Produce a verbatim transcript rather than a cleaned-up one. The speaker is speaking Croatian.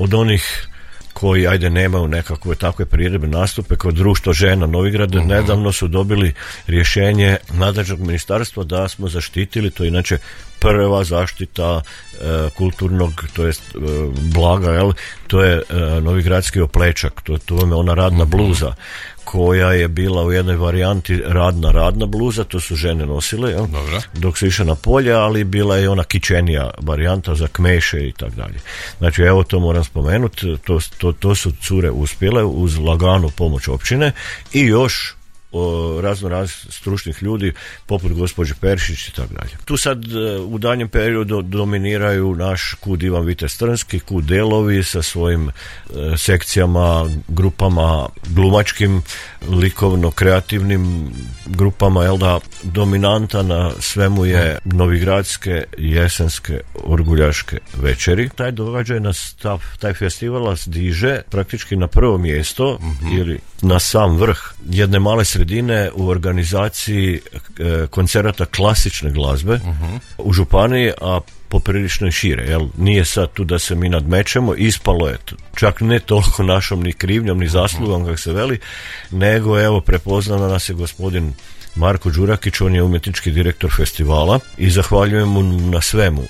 od onih koji, ajde, nemaju nekakve takve priredbe nastupe, kao Društvo žena Novigrad, uh-huh. nedavno su dobili rješenje nadležnog ministarstva da smo zaštitili, to je inače prva zaštita e, kulturnog, to jest e, blaga, jel? To je e, novigradski oplečak, to, to je ona radna bluza koja je bila u jednoj varijanti radna radna bluza, to su žene nosile, jel? Dok su išle na polje, ali bila je ona kičenija varijanta za kmeše i tako dalje. Znači, evo, to moram spomenuti, to, to, to su cure uspjele uz laganu pomoć općine i još o razno raz stručnih ljudi poput gospođe Peršić i tako dalje. Tu sad u danjem periodu dominiraju naš kud Ivan Vitez Trnski, kud Delovi sa svojim e, sekcijama, grupama glumačkim, likovno-kreativnim grupama, jel da, dominanta na svemu je novigradske jesenske orguljaške večeri. Taj događaj nas, ta, taj festival nas diže praktički na prvo mjesto mm-hmm. ili na sam vrh jedne male sredine u organizaciji e, koncerata klasične glazbe uh-huh. u županiji, a poprilično šire. Jel? Nije sad tu da se mi nadmećemo, ispalo je čak ne toliko našom ni krivnjom ni zaslugom uh-huh. kako se veli, nego evo prepoznao nas je gospodin Marko Đurakić, on je umjetnički direktor festivala i zahvaljujem mu na svemu.